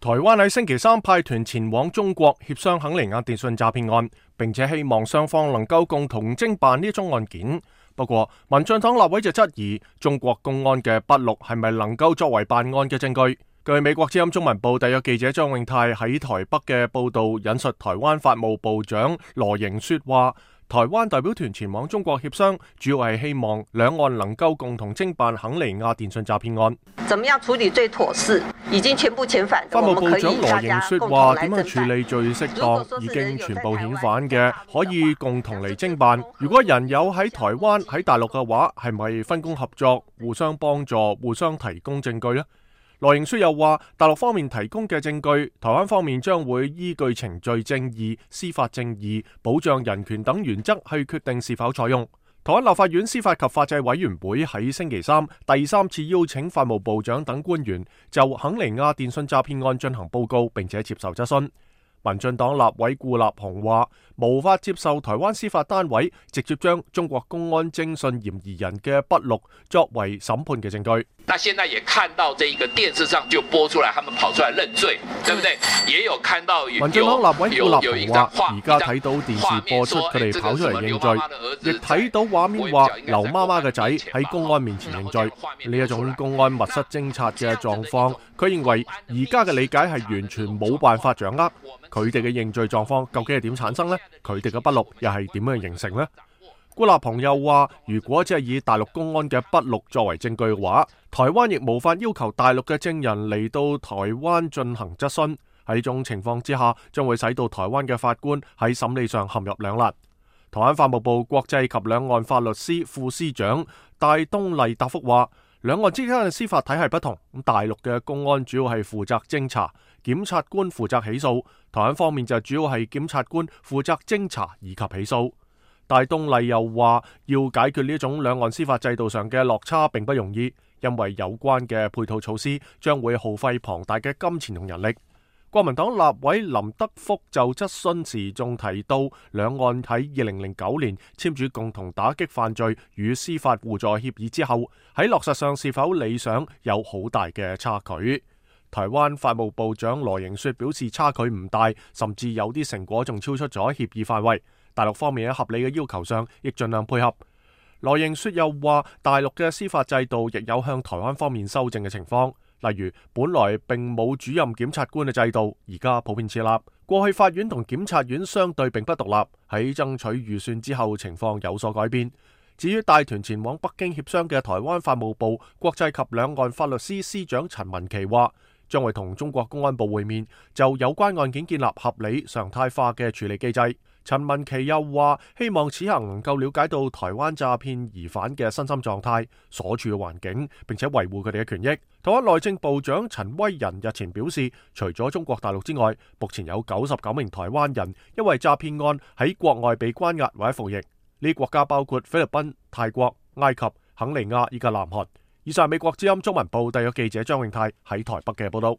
台灣喺星期三派團前往中國協商肯尼亞電訊詐騙案，並且希望雙方能夠共同偵辦呢宗案件。不過，民進黨立委就質疑中國公安嘅筆錄係咪能夠作為辦案嘅證據？據美國之音中文部特約記者張永泰喺台北嘅報道引述台灣法務部長羅盈雪話，台灣代表團前往中國協商，主要係希望兩岸能夠共同偵辦肯尼亞電訊詐騙案。怎麼樣處理最妥適？已經全部遣返。法務部長羅盈雪話：點樣處理最適當？已經全部遣返嘅，可以共同嚟偵辦。如果人有喺台灣、喺大陸嘅話，係咪分工合作、互相幫助、互相提供證據呢？羅盈雪又話：大陸方面提供嘅證據，台灣方面將會依據程序正義、司法正義、保障人權等原則去決定是否採用。台灣立法院司法及法制委員會喺星期三第三次邀請法務部長等官員就肯尼亞電訊詐騙案進行報告，並且接受質詢。民進黨立委顧立雄話：無法接受台灣司法單位直接將中國公安偵訊嫌疑人嘅筆錄作為審判嘅證據。那現在也看到這一個電視上就播出來，他們跑出來認罪，對不對？也有看到民進黨立委顧立雄話：而家睇到電視播出佢哋跑出嚟認罪，亦睇到畫面話劉媽媽嘅仔喺公安面前認罪。呢一種公安密室偵察嘅狀況，佢認為而家嘅理解係完全冇辦法掌握。佢哋嘅認罪狀況究竟係點產生呢？佢哋嘅筆錄又係點樣形成呢？顧立雄又話：如果只係以大陸公安嘅筆錄作為證據嘅話，台灣亦無法要求大陸嘅證人嚟到台灣進行質詢。喺呢種情況之下，將會使到台灣嘅法官喺審理上陷入兩難。台灣法務部國際及兩岸法律司副司長戴東麗答覆話：兩岸之間嘅司法體系不同，大陸嘅公安主要係負責偵查，檢察官負責起訴；台灣方面就主要係檢察官負責偵查以及起訴。戴東麗又話：要解決呢種兩岸司法制度上嘅落差並不容易，因為有關嘅配套措施將會耗費龐大嘅金錢同人力。國民黨立委林德福就質詢時仲提到，兩岸喺2009年簽署共同打擊犯罪與司法互助協議之後，喺落實上是否理想有好大嘅差距。台灣法務部長羅盈雪表示差距唔大，甚至有啲成果仲超出咗協議範圍。大陸方面喺合理嘅要求上亦盡量配合。羅盈雪又話，大陸嘅司法制度亦有向台灣方面修正嘅情況。例如，本來並冇主任檢察官嘅制度，而家普遍設立。過去法院同檢察院相對並不獨立，喺爭取預算之後，情況有所改變。至於帶團前往北京協商嘅台灣法務部國際及兩岸法律司司長陳文琪話，將會同中國公安部會面，就有關案件建立合理常態化嘅處理機制。陳文琪又話，希望此行能夠了解到台灣詐騙疑犯嘅身心狀態、所處嘅環境，並且維護佢哋嘅權益。台灣內政部長陳威仁日前表示，除咗中國大陸之外，目前有99名台灣人因為詐騙案喺國外被關押或者服役。呢啲國家包括菲律賓、泰國、埃及、肯尼亞以及南韓。以上係美國之音中文部特約記者張永泰喺台北嘅報道。